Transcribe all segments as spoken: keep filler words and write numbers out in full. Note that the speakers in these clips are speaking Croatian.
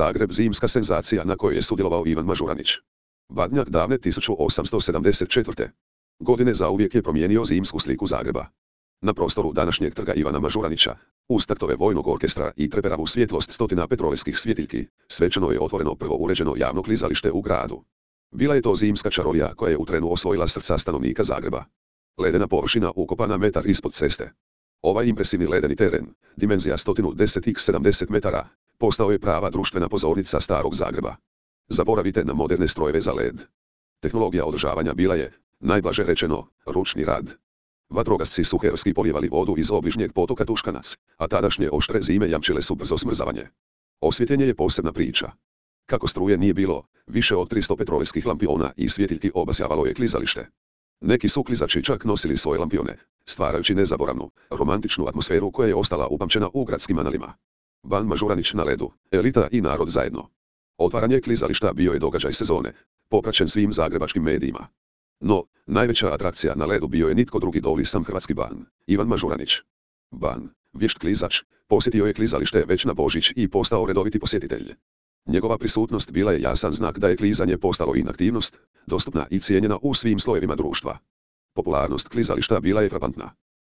Zagreb zimska senzacija na kojoj je sudjelovao Ivan Mažuranić. Badnjak davne tisuću osamsto sedamdeset četvrte. godine zauvijek je promijenio zimsku sliku Zagreba. Na prostoru današnjeg trga Ivana Mažuranića, uz taktove vojnog orkestra i treperavu svjetlost stotina petrolejskih svjetiljki, svečano je otvoreno prvo uređeno javno klizalište u gradu. Bila je to zimska čarolija koja je u trenu osvojila srca stanovnika Zagreba. Ledena površina ukopana metar ispod ceste. Ovaj impresivni ledeni teren, dimenzija sto deset na sedamdeset metara, postao je prava društvena pozornica starog Zagreba. Zaboravite na moderne strojeve za led. Tehnologija održavanja bila je, najblaže rečeno, ručni rad. Vatrogasci su herojski polijevali vodu iz obližnjeg potoka Tuškanac, a tadašnje oštre zime jamčile su brzo smrzavanje. Osvjetljenje je posebna priča. Kako struje nije bilo, više od tristo petrolejskih lampiona i svjetiljki obasjavalo je klizalište. Neki su klizači čak nosili svoje lampione, stvarajući nezaboravnu, romantičnu atmosferu koja je ostala upamćena u gradskim analima. Ban Mažuranić na ledu, elita i narod zajedno. Otvaranje klizališta bio je događaj sezone, popraćen svim zagrebačkim medijima. No, najveća atrakcija na ledu bio je nitko drugi doli sam hrvatski ban, Ivan Mažuranić. Ban, vješt klizač, posjetio je klizalište već na Božić i postao redoviti posjetitelj. Njegova prisutnost bila je jasan znak da je klizanje postalo inaktivnost, dostupna i cijenjena u svim slojevima društva. Popularnost klizališta bila je frapantna.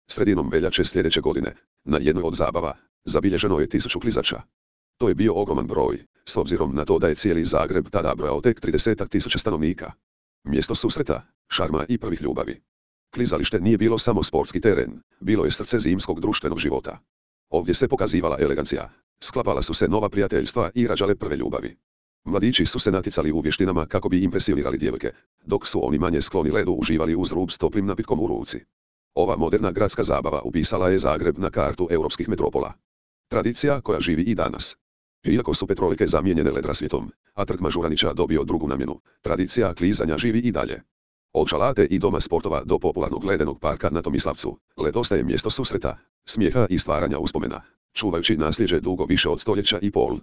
Sredinom veljače sljedeće godine, na jednoj od zabava, zabilježeno je tisuću klizača. To je bio ogroman broj, s obzirom na to da je cijeli Zagreb tada brojao tek tridesetak tisuća stanovnika. Mjesto susreta, šarma i prvih ljubavi. Klizalište nije bilo samo sportski teren, bilo je srce zimskog društvenog života. Ovdje se pokazivala elegancija, sklapala su se nova prijateljstva i rađale prve ljubavi. Mladići su se natjecali u vještinama kako bi impresionirali djevojke, dok su oni manje skloni ledu uživali uz rub s toplim napitkom u ruci. Ova moderna gradska zabava upisala je Zagreb na kartu europskih metropola. Tradicija koja živi i danas. Iako su petrolike zamijenjene led rasvjetom, a trg Mažuranića dobio drugu namjenu, tradicija klizanja živi i dalje. Od šalate i doma sportova do popularnog ledenog parka na Tomislavcu, led ostaje mjesto susreta, smijeha i stvaranja uspomena, čuvajući nasljeđe dugo više od stoljeća i pol.